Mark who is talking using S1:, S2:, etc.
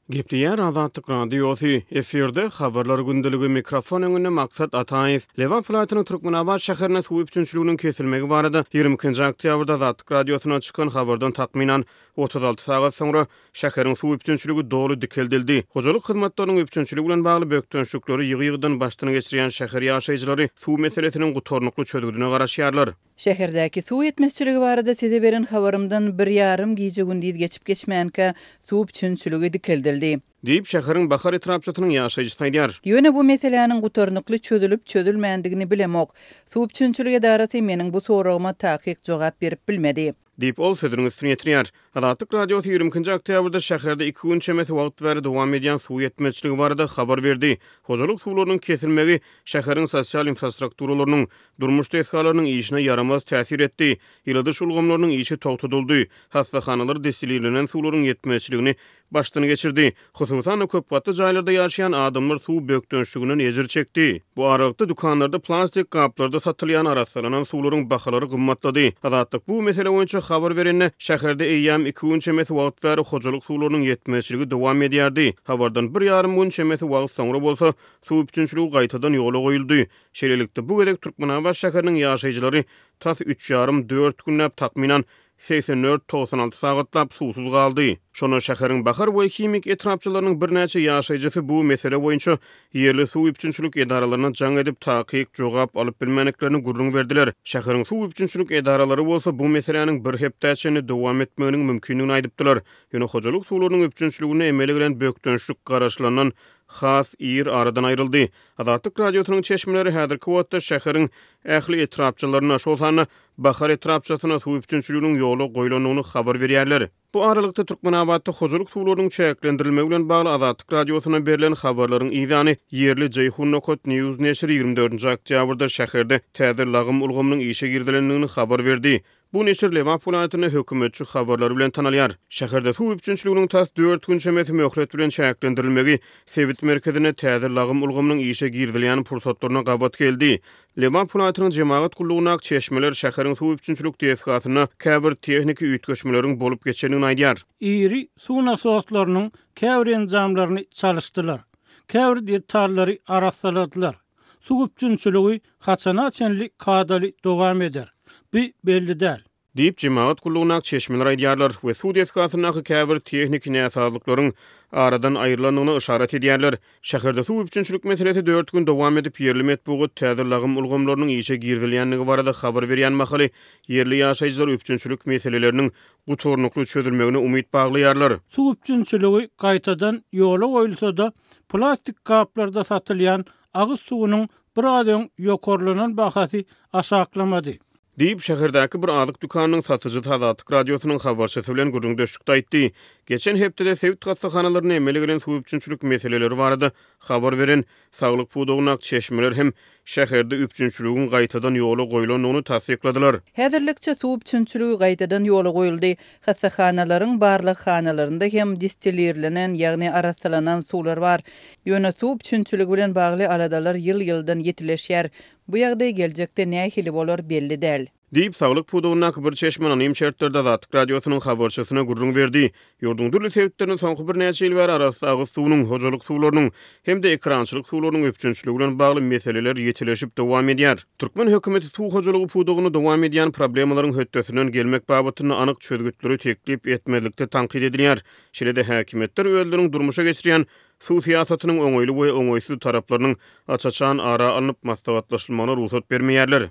S1: Gepleýär Azatlyk Radiosy, efirde Habarlar gündeligi, mikrofon öňünde Maksat Ataýew. Lebap welaýatynyň Türkmenabat şäherinde suw üpjünçiliginiň kesilmegi barada 22-nji oktýabrda Azatlyk Radiosyna çykan habardan takmynan 36 sagat soňra şäheriň suw üpjünçiligi doly dikeldildi. Hojalyk hyzmatlarynyň üpjünçiligi bilen bagly bökdençlikleri ýygy-ýygydan başdan geçirýän şäher ýaşaýjylary suw meselesiniň gutarnykly çözgüdine garaşýarlar.
S2: Şäherdäki suw ýetmezçiligi barada size beren habarymdan bir ýarym gije-gündiz geçip-geçmänkä, suw üpjünçiligi dikeldildi.
S1: Diýip, şäheriň Bahar etrapçasynyň ýaşaýjysy aýdýar.
S2: Ýöne bu meseläniň gutarnykly çözülip-çözülmändigini bilemok. Suw üpjünçilik edarasy meniň bu soragyma takyk jogap berip bilmedi.
S1: Diýip, ol sözüniň üstüni ýetirýär. Azatlyk Radiosy 22-nji oktýabrda şäherde iki gün çemesi wagt bäri dowam edýän suw ýetmezçiligi barada habar berdi. Hojalyk suwlarynyň kesilmegi şäheriň sosial infrastrukturalarynyň, durmuş desgalarynyň işine ýaramaz täsir etdi. Ýyladyş ulgamlarynyň işi togtadyldy. Hassahanalar destilirlenen suwlaryň ýetmezçiligini başdan geçirdi. Hususan-da, köp gatly jaýlarda ýaşaýan adamlar suw bökdençliginden ejir çekdi. Bu aralykda, dükanlarda plastik gaplarda satylýan arassalanan suwlaryň bahalary gymmatlady. Azatlyk bu mesele boýunça habar berende, şäherde eýýäm iki gün çemesi wagt bäri hojalyk suwlarynyň ýetmezçiligi dowam edýärdi. Habardan bir ýarym gün çemesi wagt soňra bolsa, suw üpjünçiligi gaýtadan ýola goýuldy. Şeýlelikde, bu gezek Türkmenabat şäheriniň ýaşaýjylary tas üç ýarym, dört günläp, takmynan 84, 96 sagatlap suwsuz galdy. Şonda şäheriň Bahar we Himik etrapçalarynyň birnäçe ýaşaýjysy bu mesele boýunça ýerli suw üpjünçilik edaralaryna jaň edip, takyk jogap alyp bilmändiklerini gürrüň berdiler. Şäheriň suw üpjünçilik edaralary bolsa bu meseläniň bir hepdä çenli dowam etmeginiň mümkindigini aýdypdylar. Ýöne hojalyk suwlarynyň üpjünçiliginde emele gelen bökdençlik garaşylandan has ir aradan aýryldy. Azatlyk Radiosynyň çeşmeleri häzirki wagtda şäheriň ähli etrapçalarynda, şol sanda Bahar etrapçasynda suw üpjünçiliginiň ýola goýlandygyny habar berýärler. Bu aralykda, Türkmenabatda hojalyk suwlarynyň çäklendirilmegi bilen bagly Azatlyk Radiosyna berlen habarlaryň yzýany, ýerli Jeýhun nokat news neşiri 24-nji oktýabrda şäherde täze lagym ulgamynyň işe girizilendigini habar berdi. Bu neşir Lebap welaýatynda hökümetçi habarlary bilen tanalýar. Şäherde suw üpjünçiliginiň tas dört gün çemesi möhlet bilen çäklendirilmegi sebit merkezinde täze lagym ulgamynyň işe girizilýän pursatlaryna gabat geldi. Lebap welaýatynyň jemagat gullugyndaky çeşmeler şäheriň suw üpjünçilik desgasynda käbir tehniki üýtgeşmeleriň bolup geçendigini aýdýar.
S3: Iri suw nasoslarynyň käbir enjamlaryny çalyşdylar, käbir detallary arassaladylar. Suw üpjünçiligi haçana çenli kadaly dowam eder? Bu belli däl.
S1: Diýip, jemagat gullugyndaky çeşmeler aýdýarlar we suw desgasyndaky käbir tehniki näsazlyklaryň aradan aýrylandygyna yşarat edýärler. Şäherde suw üpjünçilik meselesi dört gün dowam edip, ýerli metbugat täze lagym ulgamlarynyň işe girizilýändigi barada habar berýän mahaly, ýerli ýaşaýjylar üpjünçilik meseleleriniň gutarnykly çözülmegine umyt baglaýarlar.
S3: Suw üpjünçiligi gaýtadan ýola goýulsa-da, plastik gaplarda satylýan agyz suwunyň biraz öň ýokarlanan bahasy aşaklamady.
S1: Diýip, şäherdäki bir azyk dükanynyň satyjysy Azatlyk Radiosynyň habarçysy bilen gürrüňdeşlikde aýtdy. Geçen hepdede sebit hassahanalarynda emele gelen suw üpjünçilik meseleleri barada habar beren saglyk pudagyndaky çeşmeler hem şäherde üpjünçiligiň gaýtadan ýola goýlandygyny tassykladylar.
S2: Häzirlikçe suw üpjünçiligi gaýtadan ýola goýuldy. Hassahanalaryň barlaghanalarynda hem distilirlenen, ýagny arassalanan suwlar bar. Ýöne suw üpjünçiligi bilen bagly aladalar ýyl-ýyldan ýitileşýär. Bu ýagdaý geljekde nähili bolar, belli däl.
S1: Diýip, saglyk pudagyndaky bir çeşme anonim şertlerde Azatlyk Radiosynyň habarçysyna gürrüň berdi. Ýurduň dürli sebitlerinde soňky birnäçe ýyl bäri arassa agyz suwunyň, hojalyk suwlarynyň hem-de ekerançylyk suwlarynyň üpjünçiligi bilen bagly meseleler ýitileşip dowam edýär. Türkmen hökümeti suw hojalygy pudagynda dowam edýän problemalaryň hötdesinden gelmek babatynda anyk çözgütleri teklip etmezlikde tankyt edilýär. Şeýle-de häkimiýetler özleriniň durmuşa geçirýän Suw syýasatynyň oňaýly we oňaýsyz taraplarynyň aç-açan ara alnyp maslahatlaşylmagyna rugsat bermeýärler.